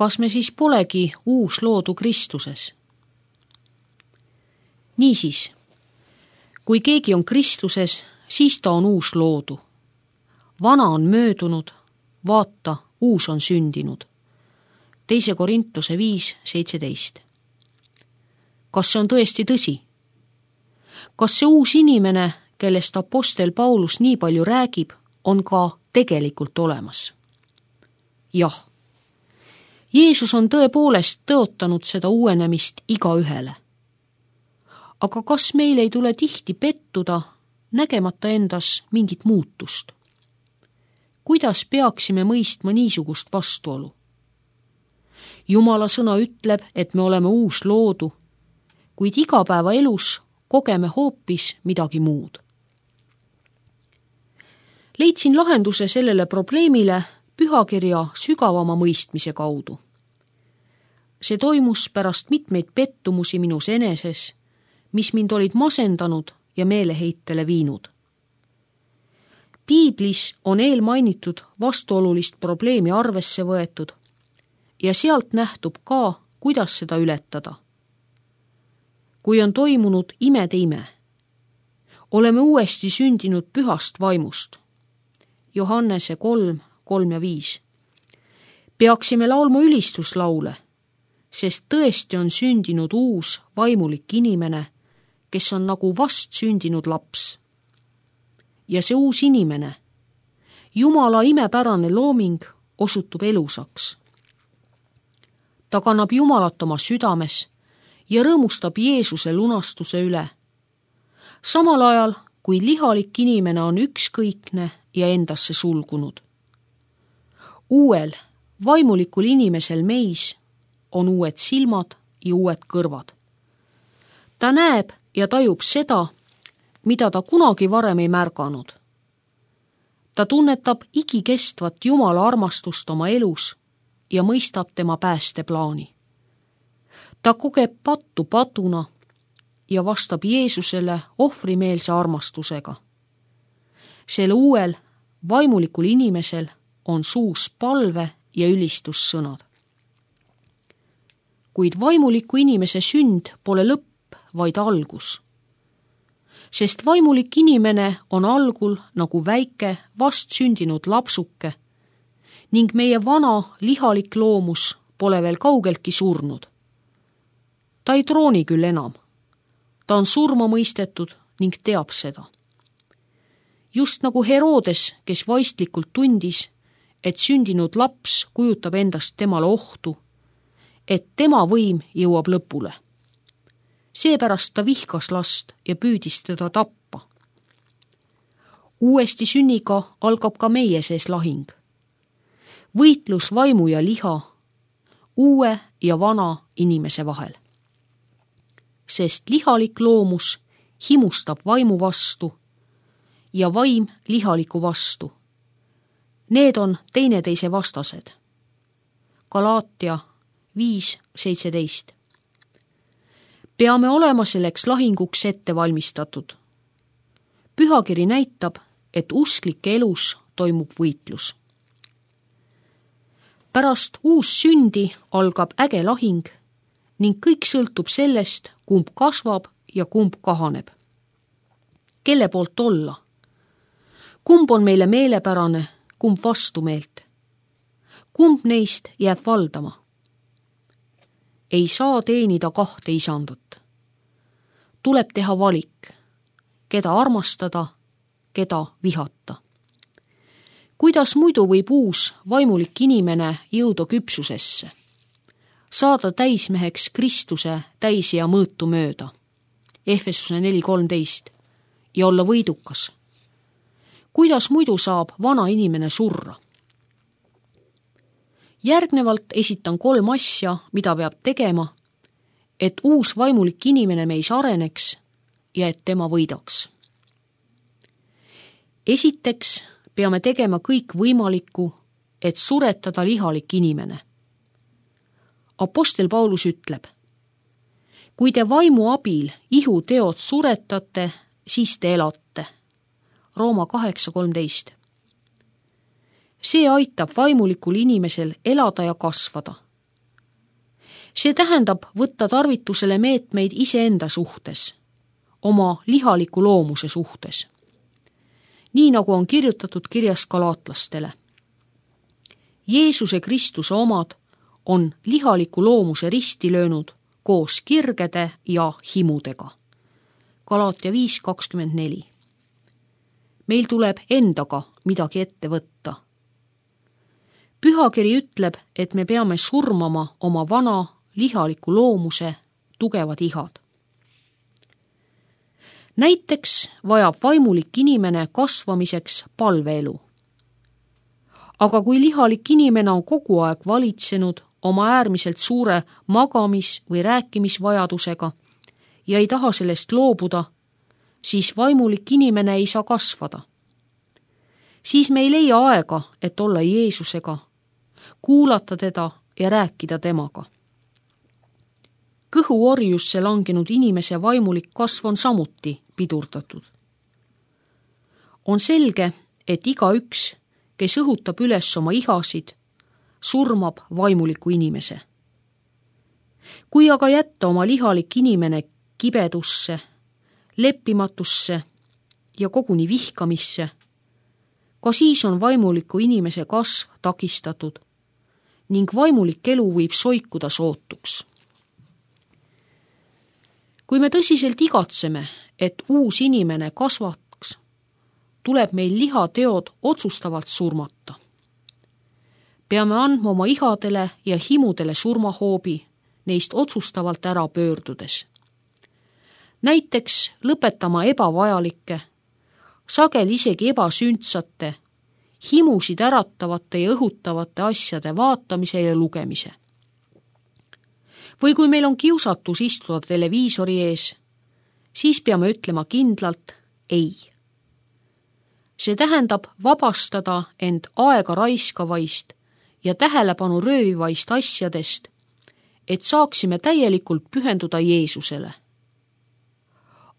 kas me siis polegi uus loodu Kristuses? Niisiis, kui keegi on Kristuses, siis ta on uus loodu. Vana on möödunud, vaata, uus on sündinud. 2 Korintuse 5:17. Kas see on tõesti tõsi? Kas see uus inimene, kellest apostel Paulus nii palju räägib, on ka tegelikult olemas? Jah. Jeesus on tõepoolest tõotanud seda uuenemist igaühele. Aga kas meil ei tule tihti pettuda, nägemata endas mingit muutust? Kuidas peaksime mõistma niisugust vastuolu? Jumala sõna ütleb, et me oleme uus loodu, kuid igapäevaelus kogeme hoopis midagi muud. Leidsin lahenduse sellele probleemile pühakirja sügavama mõistmise kaudu. See toimus pärast mitmeid pettumusi minus eneses, mis mind olid masendanud ja meeleheitele viinud. Piiblis on eelmainitud vastuolulist probleemi arvesse võetud ja sealt nähtub ka, kuidas seda ületada. Kui on toimunud imede ime, oleme uuesti sündinud pühast vaimust. Johannese 3:3-5. Peaksime laulma ülistuslaule, sest tõesti on sündinud uus vaimulik inimene, kes on nagu vast sündinud laps. Ja see uus inimene, Jumala imepärane looming, osutub elusaks. Ta kannab Jumalat oma südames ja rõõmustab Jeesuse lunastuse üle. Samal ajal, kui lihalik inimene on ükskõikne ja endasse sulgunud. Uuel, vaimulikul inimesel meis on uued silmad ja uued kõrvad. Ta näeb ja tajub seda, mida ta kunagi varem ei märganud. Ta tunnetab igikestvat Jumala armastust oma elus ja mõistab tema päästeplaani. Ta kogeb pattu patuna ja vastab Jeesusele ohvrimeelse armastusega. Sel uuel, vaimulikul inimesel on suus palve ja ülistussõnad. Kuid vaimuliku inimese sünd pole lõpp, vaid algus. Sest vaimulik inimene on algul nagu väike vast sündinud lapsuke ning meie vana lihalik loomus pole veel kaugeltki surnud. Ta ei trooni küll enam. Ta on surma mõistetud ning teab seda. Just nagu Herodes, kes vaistlikult tundis, et sündinud laps kujutab endast temale ohtu, et tema võim jõuab lõpule. Seepärast ta vihkas last ja püüdis teda tappa. Uuesti sünniga algab ka meie sees lahing. Võitlus vaimu ja liha, uue ja vana inimese vahel. Sest lihalik loomus himustab vaimu vastu ja vaim lihaliku vastu. Need on teineteise vastased. Galaatia 5:17. Peame olema selleks lahinguks ette valmistatud. Pühakiri näitab, et usklike elus toimub võitlus. Pärast uus sündi algab äge lahing ning kõik sõltub sellest, kumb kasvab ja kumb kahaneb. Kelle poolt olla? Kumb on meile meelepärane, kumb vastumeelt? Kumb neist jääb valdama? Ei saa teenida 2 isandat. Tuleb teha valik, keda armastada, keda vihata. Kuidas muidu võib uus vaimulik inimene jõuda küpsusesse, saada täismeheks Kristuse täis ja mõõtu mööda, Efesuse 4:13, ja olla võidukas? Kuidas muidu saab vana inimene surra? Järgnevalt esitan 3 asja, mida peab tegema, et uus vaimulik inimene meis areneks ja et tema võidaks. Esiteks peame tegema kõik võimalikku, et suretada lihalik inimene. Apostel Paulus ütleb: kui te vaimu abil ihuteod suretate, siis te elate. Rooma 8:13. See aitab vaimulikul inimesel elada ja kasvada. See tähendab võtta tarvitusele meetmeid iseenda suhtes, oma lihaliku loomuse suhtes. Nii nagu on kirjutatud kirjas galaatlastele. Jeesuse Kristuse omad on lihaliku loomuse risti löönud koos kirgede ja himudega. Galaatia 5:24. Meil tuleb endaga midagi ette võtta. Pühakiri ütleb, et me peame surmama oma vana lihaliku loomuse tugevad ihad. Näiteks vajab vaimulik inimene kasvamiseks palveelu. Aga kui lihalik inimene on kogu aeg valitsenud oma äärmiselt suure magamis- või rääkimisvajadusega ja ei taha sellest loobuda, siis vaimulik inimene ei saa kasvada. Siis me ei leia aega, et olla Jeesusega, kuulata teda ja rääkida temaga. Kõhuorjusse langenud inimese vaimulik kasv on samuti pidurdatud. On selge, et igaüks, kes õhutab üles oma ihasid, surmab vaimuliku inimese. Kui aga jätta oma lihalik inimene kibedusse, leppimatusse ja koguni vihkamisse, ka siis on vaimuliku inimese kasv takistatud ning vaimulik elu võib soikuda sootuks. Kui me tõsiselt igatseme, et uus inimene kasvaks, tuleb meil lihateod otsustavalt surmata. Peame andma oma ihadele ja himudele surmahoobi, neist otsustavalt ära pöördudes. Näiteks lõpetama ebavajalikke, sageli isegi ebasündsate, himusid äratavate ja õhutavate asjade vaatamise ja lugemise. Või kui meil on kiusatus istuda televiisori ees, siis peame ütlema kindlalt ei. See tähendab vabastada end aega raiskavaist ja tähelepanu röövivaist asjadest, et saaksime täielikult pühenduda Jeesusele.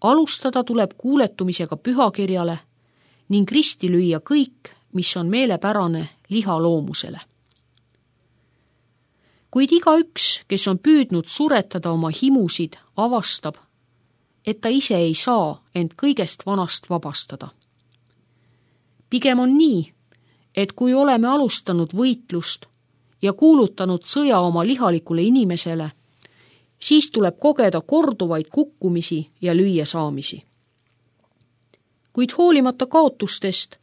Alustada tuleb kuuletumisega pühakirjale ning risti lüüa kõik, mis on meelepärane lihaloomusele. Kuid igaüks, kes on püüdnud suretada oma himusid, avastab, et ta ise ei saa end kõigest vanast vabastada. Pigem on nii, et kui oleme alustanud võitlust ja kuulutanud sõja oma lihalikule inimesele, siis tuleb kogeda korduvaid kukkumisi ja lüüasaamisi. Kuid hoolimata kaotustest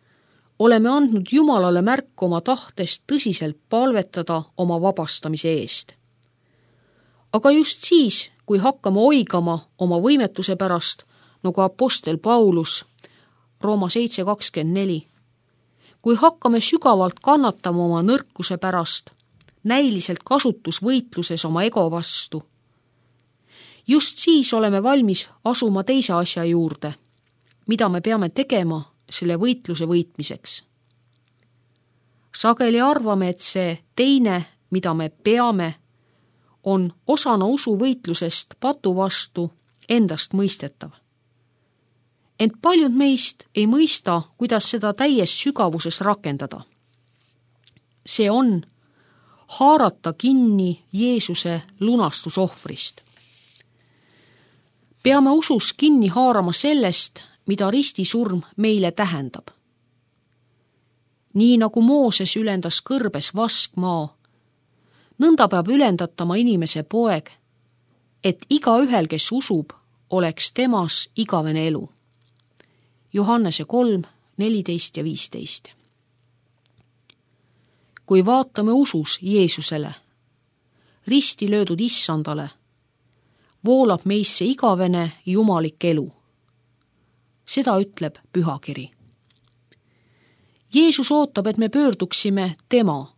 oleme andnud Jumalale märku oma tahtest tõsiselt palvetada oma vabastamise eest. Aga just siis, kui hakkame oigama oma võimetuse pärast, nagu apostel Paulus, Rooma 7:24, kui hakkame sügavalt kannatama oma nõrkuse pärast, näiliselt kasutusvõitluses oma ego vastu, just siis oleme valmis asuma teise asja juurde, mida me peame tegema selle võitluse võitmiseks. Sageli arvame, et see teine, mida me peame, on osana usuvõitlusest patu vastu endast mõistetav. Ent paljud meist ei mõista, kuidas seda täies sügavuses rakendada. See on haarata kinni Jeesuse lunastusohvrist. Peame usus kinni haarama sellest, mida ristisurm meile tähendab. Nii nagu Mooses ülendas kõrbes vaskmaa, nõnda peab ülendatama inimese poeg, et igaühel, kes usub, oleks temas igavene elu. Johannese 3:14 ja 15. Kui vaatame usus Jeesusele, risti löödud issandale, voolab meisse igavene jumalik elu. Seda ütleb pühakiri. Jeesus ootab, et me pöörduksime tema,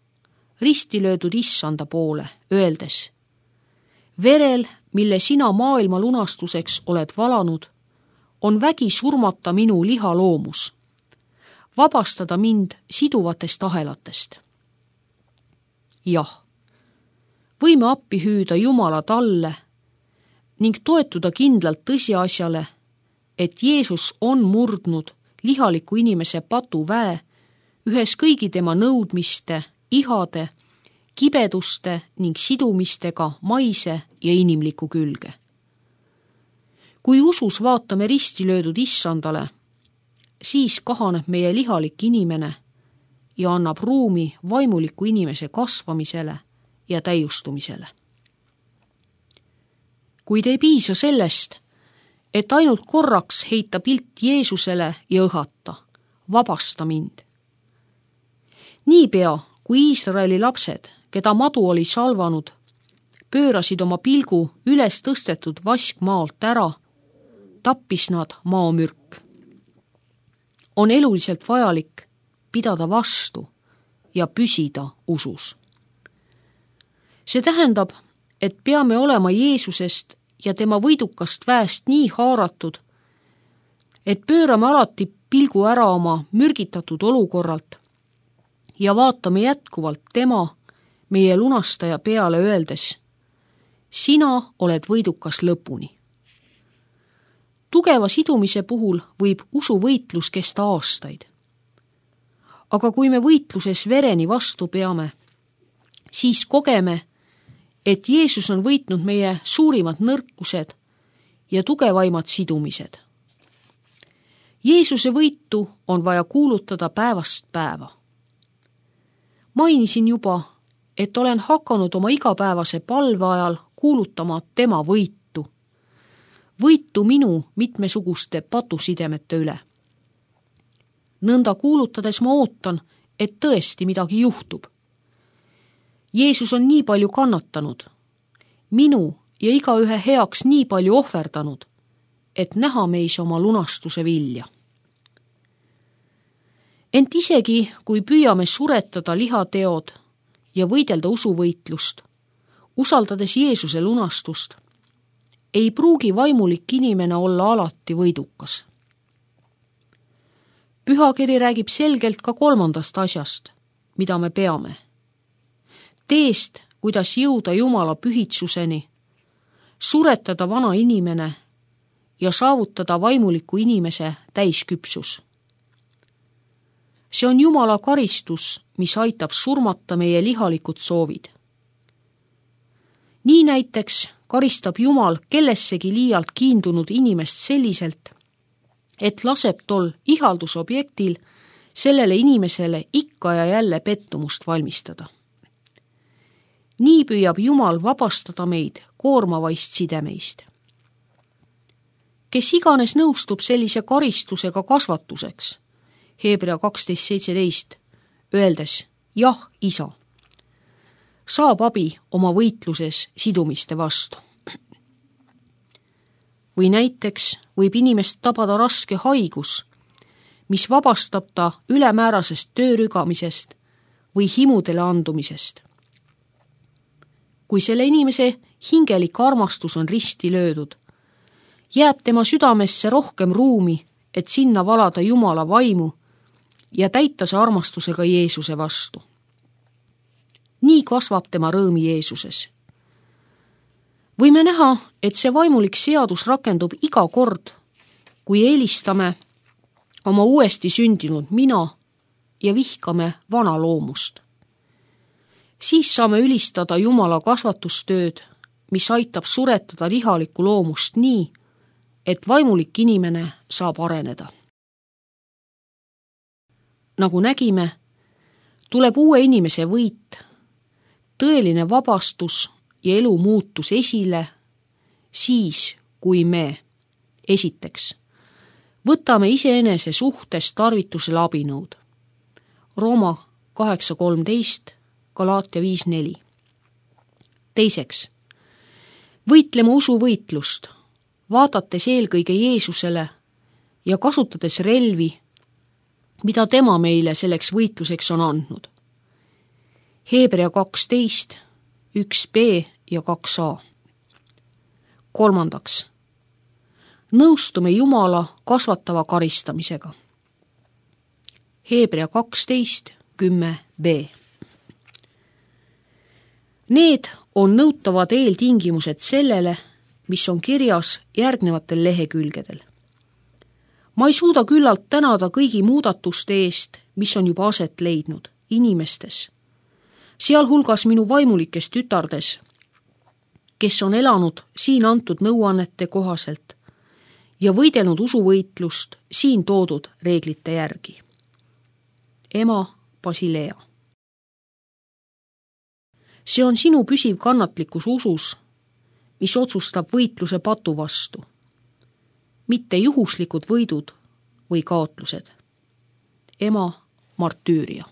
risti löödud issanda poole, öeldes: verel, mille sina maailma lunastuseks oled valanud, on vägi surmata minu lihaloomus, vabastada mind siduvatest ahelatest. Jah, võime appi hüüda Jumala talle ning toetuda kindlalt tõsiasjale, et Jeesus on murdnud lihaliku inimese patuväe ühes kõigi tema nõudmiste, ihade kibeduste ning sidumistega maise ja inimliku külge. Kui usus vaatame risti löödud issandale, siis kahaneb meie lihalik inimene ja annab ruumi vaimuliku inimese kasvamisele ja täiustumisele. Kuid ei piisa sellest, et ainult korraks heita pilt Jeesusele ja õhata, vabasta mind. Niipea, kui Iisraeli lapsed, keda madu oli salvanud, pöörasid oma pilgu üles tõstetud vaskmaalt ära, tappis nad maamürk. On eluliselt vajalik pidada vastu ja püsida usus. See tähendab, et peame olema Jeesusest ja tema võidukast väest nii haaratud, et pöörame alati pilgu ära oma mürgitatud olukorralt ja vaatame jätkuvalt tema, meie lunastaja peale öeldes, sina oled võidukas lõpuni. Tugeva sidumise puhul võib usuvõitlus kesta aastaid. Aga kui me võitluses vereni vastu peame, siis kogeme, et Jeesus on võitnud meie suurimad nõrkused ja tugevaimad sidumised. Jeesuse võitu on vaja kuulutada päevast päeva. Mainisin juba, et olen hakanud oma igapäevase palve ajal kuulutama tema võitu. Võitu minu mitmesuguste patusidemete üle. Nõnda kuulutades ma ootan, et tõesti midagi juhtub. Jeesus on nii palju kannatanud, minu ja igaühe heaks nii palju ohverdanud, et näha meis oma lunastuse vilja. Ent isegi, kui püüame suretada lihateod ja võidelda usuvõitlust, usaldades Jeesuse lunastust, ei pruugi vaimulik inimene olla alati võidukas. Pühakiri räägib selgelt ka kolmandast asjast, mida me peame. Teest, kuidas jõuda Jumala pühitsuseni, suretada vana inimene ja saavutada vaimuliku inimese täisküpsus. See on Jumala karistus, mis aitab surmata meie lihalikud soovid. Nii näiteks karistab Jumal kellessegi liialt kiindunud inimest selliselt, et laseb tol ihaldusobjektil sellele inimesele ikka ja jälle pettumust valmistada. Nii püüab Jumal vabastada meid koormavaist sidemeist. Kes iganes nõustub sellise karistusega kasvatuseks, Hebra 12:17, öeldes jah, isa, saab abi oma võitluses sidumiste vastu. Või näiteks võib inimest tabada raske haigus, mis vabastab ta ülemäärasest töörügamisest või himudele andumisest. Kui selle inimese hingelik armastus on risti löödud, jääb tema südamesse rohkem ruumi, et sinna valada Jumala vaimu ja täita see armastusega Jeesuse vastu. Nii kasvab tema rõõmi Jeesuses. Võime näha, et see vaimulik seadus rakendub iga kord, kui eelistame oma uuesti sündinud mina ja vihkame vana loomust. Siis saame ülistada Jumala kasvatustööd, mis aitab suretada lihalikku loomust nii, et vaimulik inimene saab areneda. Nagu nägime, tuleb uue inimese võit, tõeline vabastus ja elu muutus esile siis, kui me, esiteks, võtame iseenese suhtes tarvitusele abinõud. Rooma 8:13, Galaatia 5:4. Teiseks, võitleme usuvõitlust, vaadates eelkõige Jeesusele ja kasutades relvi, mida tema meile selleks võitluseks on andnud. Hebra 12, 1b ja 2a. Kolmandaks, nõustume Jumala kasvatava karistamisega. Hebra 12, 10b. Need on nõutavad eeltingimused sellele, mis on kirjas järgnevatel lehekülgedel. Ma ei suuda küllalt tänada kõigi muudatuste eest, mis on juba aset leidnud inimestes. sealhulgas minu vaimulikes tütardes, kes on elanud siin antud nõuannete kohaselt ja võidelnud usuvõitlust siin toodud reeglite järgi. Ema Basilea. See on sinu püsiv kannatlikkus usus, mis otsustab võitluse patu vastu, mitte juhuslikud võidud või kaotlused. Ema Martüüria.